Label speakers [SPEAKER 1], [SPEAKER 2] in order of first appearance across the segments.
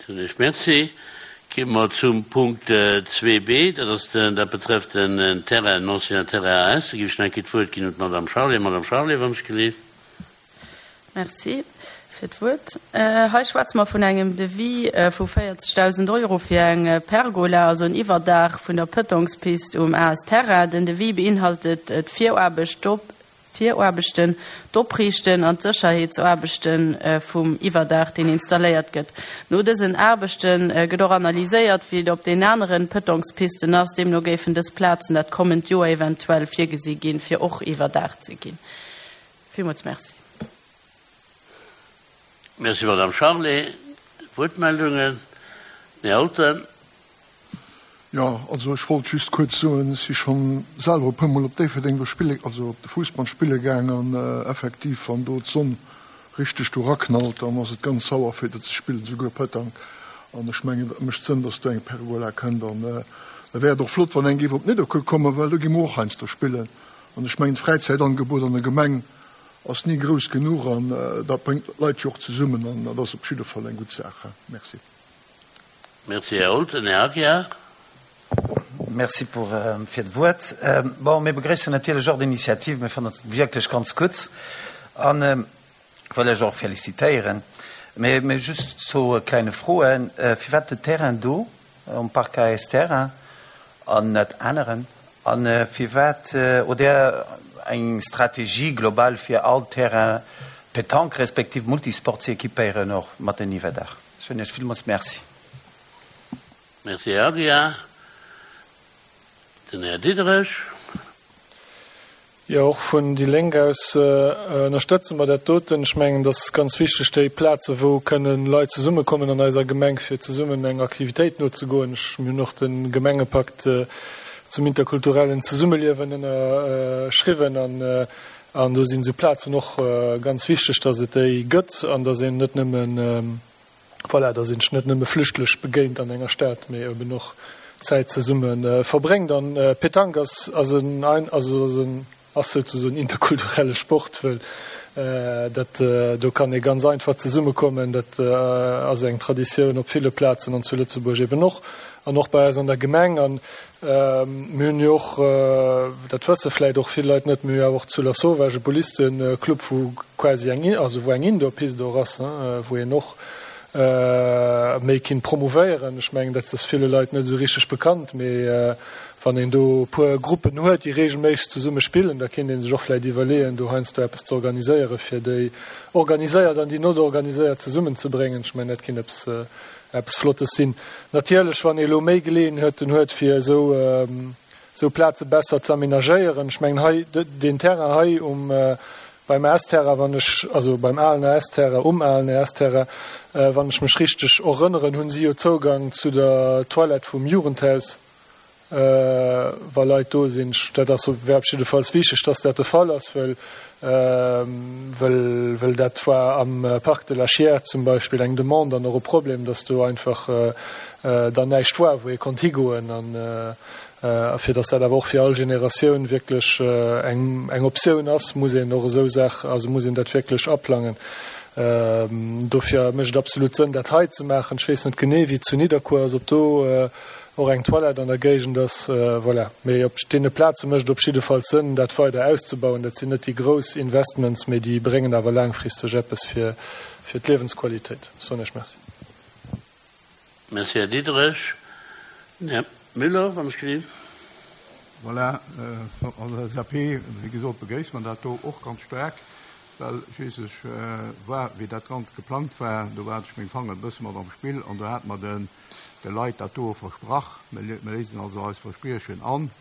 [SPEAKER 1] Soen ech Merci. Gi mer zum Punkt 2b, dat ass den, dat betrëfft den Terrain, den ancien Terrain AS. Da géif ech nach eng Kéier d'Wuert ginn un d'Madame Charlé. Madame Charlé, wann ech gelift.
[SPEAKER 2] Merci fir d'Wuert. Hei schwätze mer vun engem Devis vu 40.000 Euro fir eng Pergola, also en Iwwerdaach vun der Pëtongspist um AS Terrain. Den Devis beinhaltet d'Viraarbecht, d'Viraarbechten, d'Opriichten an d'Sécherheetsaarbechte vum Iwwerdaach, deen installéiert gëtt. No dësen Aarbechte gëtt och analyséiert, wéi et op den anere Pëtongspisten ass. Deemno géifen dës Plazen dat kommend Joer eventuell virgesi ginn, fir och iwwerdaacht ze ginn. Villmools Merci.
[SPEAKER 1] Merci, Madame Charlé. Wuertmeldungen? Den Här Olten.
[SPEAKER 3] Jo, also ech wollt just kuerz soen, ech si schonn selwer e puermol op Déifferdeng do spille, also op de Fuussband spille gaang an effektiv, wann do d'Sonn richteg do raknallt, dann ass et ganz sauer fir do ze spillen, souguer Pëtang. An ech mengen, dat mécht Sënn, dass do eng Pergola kënnt an da wär et och flott, wann eng géif op Nidderkuer kommen, well do gi mer och heiansdo spillen. An ech mengen, d'Fräizäitangebot an der Gemeng ass ni grouss genuch an dat bréngt d'Leit jo och zesummen an dat ass op jidde Fall eng gutt Saach. Merci.
[SPEAKER 1] Merci, Här Olten. Här Aguiar.
[SPEAKER 4] Merci pour, fir d'Wuert. Bon, mir begréissen natierlech och d'Initiativ. Mir fannen et wierklech ganz gutt a wëll lech och félicitéieren. Mee, mee just zwou klenge Froen. Firwat de Terrain do um Parc AS Terrain an net aneren? A firwat hutt Der eng Strategie global fir all Terrain Pétanque respektiv Multisport ze équipéieren, och mat den Iwwerdaach? Ech soen Iech villmools Merci.
[SPEAKER 1] Merci, Här Aguiar. Den Här Diderich.
[SPEAKER 5] Jo, och vun déi Lénk aus ënnerstëtze mer dat doten. Ech mengen, et ass ganz wichteg, déi Plaze wou kënnen Leit zesummekommen an eiser Gemeng, fir zesummen eng Aktivitéit nozegoen. Ech, mir hunn och de Gemengepakt zum interkulturellen Zesummeliewen ënnerschriwwen an an do sinn esou Plazen och ganz wichteg, dass et déi gëtt an dass een net nëmmen, Voilà, dass een sech net nëmme flüchtlech begéint an enger Stad, mee eben och Zäit zesumme verbréngt. An Petanque ass ass en also ass en ass souzesoen interkulturelle Sport, wëll dat do kann ee ganz einfach zesummekommen. Dat ass eng Traditioun op ville Plazen an zu Lëtzebuerg eben och an och bei eis an der Gemeng. An Mir hunn jo och, dat wësse vläicht och vill Leit net, mir hu jo awer och zu Lasauvage e Bullisteclub, wou quasi eng, also wou eng Indoor-Piste och ass, wou een och méi kinnt promouvéieren. Ech mengen, dat ass ville Leit net esou richteg bekannt, mee wann een do e puer Gruppen huet, déi regelméisseg zesumme spillen, da kinnt ee sech och vläicht iwwerleeën, do heiansdo eppes ze organiséieren, fir déi organiséiert an déi not organiséiert zesummenzebréngen. Ech mengen, dat kinnt eppes eppes Flottes sinn. Natierlech, wann ee elo méi Geleeënheeten huet, fir esou, esou Plaze besser ze amenagéieren. Ech mengen hei, deen Terrain hei um, beim AS-Terrain, wann ech, also beim alen AS-Terrain, um alen AS-Terrain, wann ech mech richteg erënneren, hunn si jo Zougang zu der Toilette vum Jugendhaus. Wa Leit do sinn. Dat ass, wär op jiddefalls wichteg, dass dat de Fall ass, wëll, wëll, wëll dat war am Parc de la Chiers zum Beispill eng Demande an och e Problem, dass do einfach dann näischt war, wou ee konnt higoen. An fir dass dat awer och fir all Generatioun wierklech eng, eng Optioun ass, muss een och esou Saach, also muss een dat wierklech aplangen. Dofir mécht et absolut Sënn, dat hei ze maachen. Ech weess net genee, wéi et zu Nidderkuer ass, ob do och eng Toilette an der Géigend ass. Voilà. Mee op deene Plaze mécht et op jiddefalls Sënn, dat weider auszebauen. Dat sinn net déi grouss Investments, mee déi bréngen awer laangfristeg eppes fir d'Liewensqualitéit. Ech soen Iech Merci.
[SPEAKER 1] Merci, Här Diderich. Den Här Müller, wann ech gelift.
[SPEAKER 6] Voilà, als LSAP, wéi gesot, begréisse mer dat do och ganz staark. Well schliisslech war, wéi dat Ganzt geplangt war, do hat ech meng Fanger e bësse mat am Spill an do hate mer de Leit dat doe versprach. Mir léisen also eist Verspriechen an.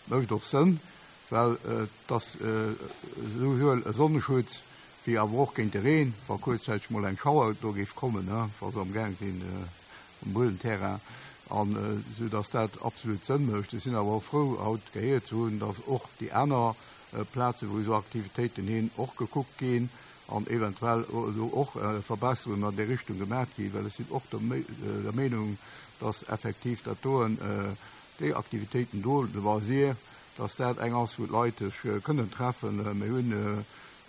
[SPEAKER 6] Mécht och Sënn, well et ass esouwuel e Sonneschutz wéi awer och géint de Reen, wa kuerzzäiteg mol eng Schauer do géif kommen, wa se amgaang sinn um Buelenterrain, an esou datt dat absolut Sënn mécht. Ech sinn awer och frou, haut gehéiert ze hunn, datt och déi aner Plazen, wou esou Aktivitéiten hinn, och gekuckt ginn an eventuell elo och Verbesserungen an déi Richtung gemaach ginn, well ech sinn och der Meenung, dass effektiv dat doen, déi Aktivitéiten do, de Loisir, dass dat eng ass, wou d'Leit sech kënnen treffen. Mir hunn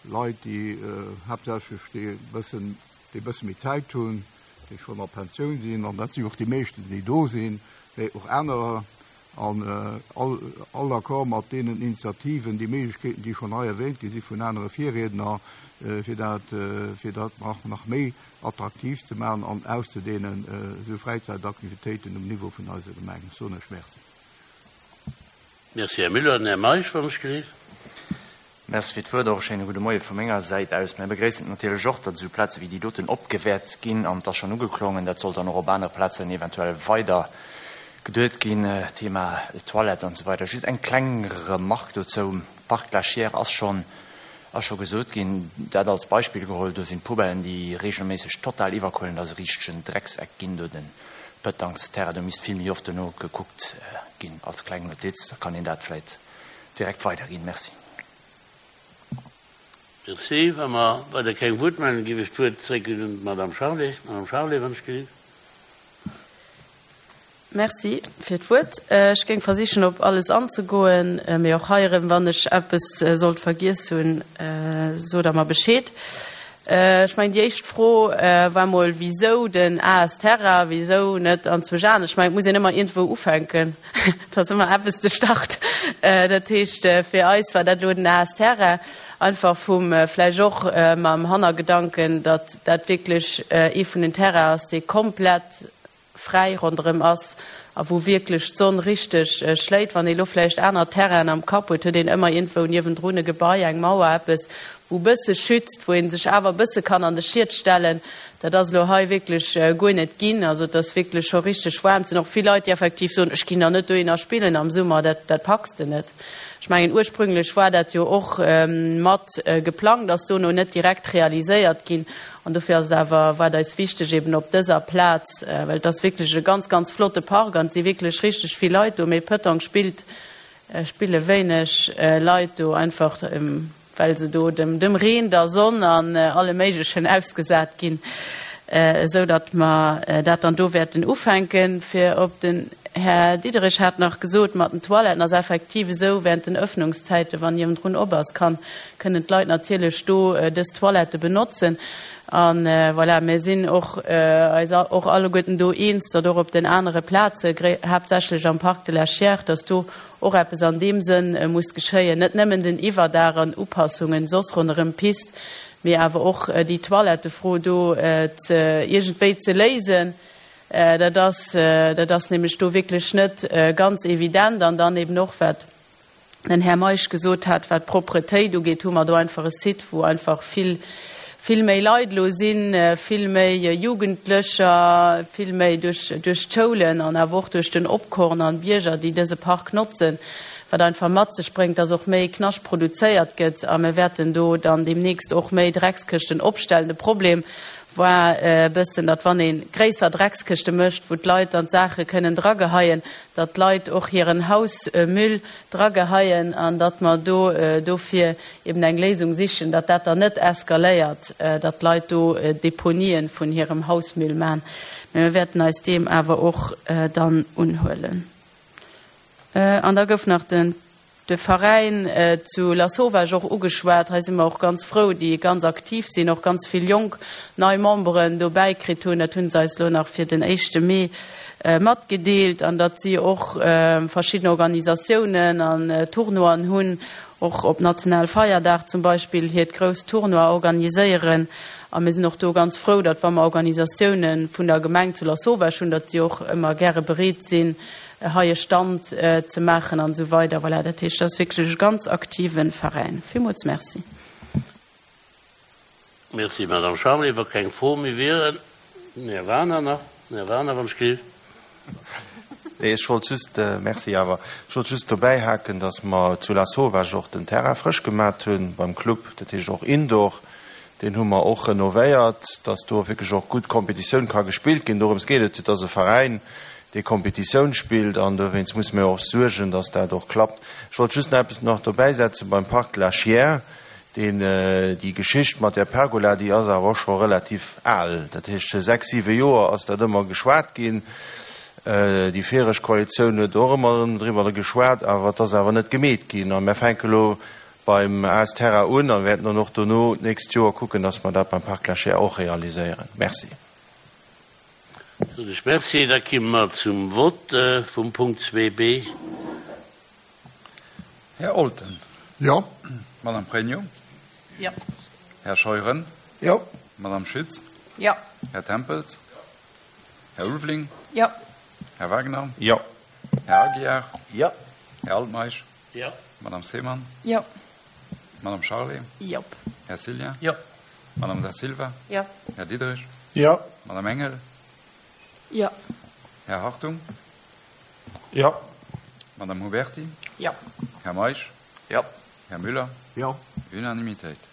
[SPEAKER 6] Leit, déi haaptsächlech déi e bëssen, déi e bësse méi Zäit hunn. déi schonn a Pensioun sinn, an dat si och déi meeschten, déi do sinn, mä och anerer, an all all Accord mat deenen Initiativen, déi Méiglechkeeten, déi schonn hei erwähnt gi si vun anere Virriedner, fir dat, fir dat nach nach méi attraktiv ze maachen an auszudehnen, esou Fräizäitaktivitéiten um Niveau vun eiser Gemeng. Ech soen lech Merci.
[SPEAKER 1] Merci, Här Müller. Den Här Meisch, wann ech gelift.
[SPEAKER 7] Merci fir d'Wuert. Och e schéine gudde Moie vu menger Säit aus. Mir begréissen et natierlech och, datt esou Plaze wéi déi doten opgewäert ginn. An et ass schonn ugeklongen, dat sollt dann och op anere Plazen eventuell weider geduet ginn, Thema Toilette an esou weider. Just eng kleng Remarque dozou, Parc La Chiers ass schonn, ass scho gesot ginn, dat als Beispill geholl, do sinn d'Poubellen, déi regelméisseg total iwwerquëllen, dat ass e richtegen Dreckseck ginn do, de Pëtangsterrain. Do misst vill méi oft dono gekuckt ginn. Als kleng Notiz, da kann een dat vläicht direkt weiderginn. Merci.
[SPEAKER 1] Merci. Wa mer weider keng Wuertmeldung, géif ech d'Wuert zréckginn un d'Madame Charlé. Madame Charlé, wann ech gelift.
[SPEAKER 2] Merci fir d'Wuert. Ech géing versichen, op alles anzegoen, mee och hei erëm, wann ech eppes sollt vergiess hunn, sot Der mer Bescheed. Ech mengen, déi éischt Fro war mol, Wisou den AS Terra, wisou net anzwousch anescht? Ech mengen, et muss een ëmmer iergendwou ufänken. Et ass ëmmer eppes de Start. Dat heescht, fir eis war dat elo den AS Terra, einfach vum, vläicht och mam Hannergedanken, datt dat wierklech ee vun den Terrainen ass, dee komplett fräi ronderëm ass a wou wierklech d'Sonn richteg schléit. Wann ee lo vläicht aner Terrainen am Kapp huet, huet een ëmmer iergendwou niewendrun e Gebai, eng Mauer, eppes, wou e bësse schützt, wou ee sech awer e bësse kann an de Schiet stellen. Dat ass elo hei wierklech guer net ginn. Also et ass wierklech scho richteg waarm. Et sinn och vill Leit, déi effektiv soen, ech ginn da net dohinner spillen am Summer, dat, dat packs de net. Ech mengen, ursprünglech war dat jo och mat geplangt, ass dono net direkt realiséiert ginn. An dofir ass et awer, war et eis wichteg, eben op dëser Plaz, well et ass wierklech e ganz, ganz flotte Park an et si wierklech richteg vill Leit do, mee Pëtanque spillt, spille wéineg Leit do, einfach well se do dem, dem Reen, der Sonn an allem Méiglechen ausgesat ginn, esou datt mer dat dann do wäerten ufänken. Fir op den Här Diderich hat nach gesot, mat den Toiletten ass effektiv esou, während den Öffnungszäiten, wann niewendrun op ass, kann, kënnen d'Leit natierlech do dës Toilette benotzen. A voilà, mir sinn och eis och alleguerten do eens, datt och op den anere Plaze, haaptsächlech am Parc de la Chiers, datt do och eppes an deem Sënn muss geschéien, net nëmmen den Iwwerdaach an Upassungen soss ronderëm d'Pist, mee awer och déi Toilettefro do ze iergendwéi ze léisen. Dat ass, dat ass nämlech do wierklech net ganz evident. An dann eben och, wat den Här Meisch gesot hat, wat d'Propretéit ugeet, hu mer do einfach e Site, wou einfach vill, vill méi Leit elo sinn, vill méi Jugendlecher, vill méi duerch, duerch d'Schoulen an awer och duerch den Opkorn an d'Bierger, déi dëse Park notzen, wat einfach mat sech bréngt, dass och méi Knascht produzéiert gëtt. A mir wäerten do dann deemnächst och méi Dreckskëschten opstellen. De Problem war e bëssen, datt wann ee gréisser Dreckskëschte mécht, wou d'Leit dann d'Saache kënnen drageheien, datt d'Leit och hiren Hausmüll drageheien an datt mer do dofir eben eng Léisung sichen, datt dat dann net eskaléiert, datt d'Leit do Deponien vun hirem Hausmüll man. Mä mir wäerten eis deem awer och dann unhuelen. An da gouf nach den. De Veräin zu Lasauvage och ugeschwat. Hei si mer och ganz frou, déi ganz aktiv sinn, och ganz vill jonk nei Memberen dobäi kritt hunn. Dat hu se eis elo nach fir den éischte Mee matgedeelt. An datt si och verschidden Organisatiounen an Tournoien hunn, och op Nationalfeierdag zum Beispill hiert grousst Tournoi organiséieren. A mir sinn och do ganz frou, datt wa mer Organisatioune vun der Gemeng zu Lasauvage hunn, datt si och ëmmer gäre bereet sinn, hei e Stand ze maachen an esou weider. Voilà, dat heescht, dat ass wierklech e ganz aktive Veräin. Villmools Merci.
[SPEAKER 1] Merci, Madame Charlé. Wa keng Froe méi wieren, den Här Wagener nach. Den Här Wagener, wann ech géif.
[SPEAKER 8] Nee, ech wollt just, Merci awer, ech wollt just dobäihaken, datt mer zu Lasauvage och den Terrain frësch gemat hu beim Club, dat heescht och Indoor. Deen hu mer och renovéiert, dass do wierklech och gutt Kompetitioun ka gespillt ginn. Dorëms geet et, et ass e Veräin, dee Kompetitioun spillt an dowéinst musse mir och suergen, dass dat och klappt. Ech wollt just nach eppes nach dobäisetzen beim Parc de la Chiers, deen, déi Geschicht mat där Pergola, déi ass awer och scho relativ al. Dat heescht, sechs, siwe Joer ass dat ëmmer geschwat ginn. Déi viregt Koalitioun huet och ëmmer erëm driwwer geschwat, awer et ass awer net gemeet ginn. A mir fänke elo beim AS Terra un a wäerten dann och dono d'nächst Joer kucken, dass mer dat beim Parc Lachère och realiséieren. Merci.
[SPEAKER 1] Soen ech Merci. Da kimme mer zum Vott vum Punkt 2b.
[SPEAKER 9] Här Olten.
[SPEAKER 3] Jo.
[SPEAKER 9] Madame Pregno.
[SPEAKER 2] Jo.
[SPEAKER 9] Här Scheuren.
[SPEAKER 3] Jo.
[SPEAKER 9] Madame Schütz.
[SPEAKER 2] Jo.
[SPEAKER 9] Här Tempels. Här Ulveling.
[SPEAKER 2] Jo.
[SPEAKER 9] Här Wagner.
[SPEAKER 8] Jo.
[SPEAKER 9] Här Aguiar.
[SPEAKER 4] Jo.
[SPEAKER 9] Här Altmeisch.
[SPEAKER 1] Jo.
[SPEAKER 9] Madame Seemann.
[SPEAKER 2] Jo.
[SPEAKER 9] Madame Charlé.
[SPEAKER 2] Jo.
[SPEAKER 9] Här Cillien.
[SPEAKER 1] Jo.
[SPEAKER 9] Madame Da Silva.
[SPEAKER 2] Jo.
[SPEAKER 9] Här Diderich.
[SPEAKER 5] Jo.
[SPEAKER 9] Madame Engel.
[SPEAKER 2] Jo.
[SPEAKER 9] Här Hartung.
[SPEAKER 5] Jo.
[SPEAKER 9] Madame Huberti.
[SPEAKER 2] Jo.
[SPEAKER 9] Här Meisch.
[SPEAKER 7] Jo.
[SPEAKER 9] Här Müller.
[SPEAKER 6] Jo.
[SPEAKER 9] Unanimitéit.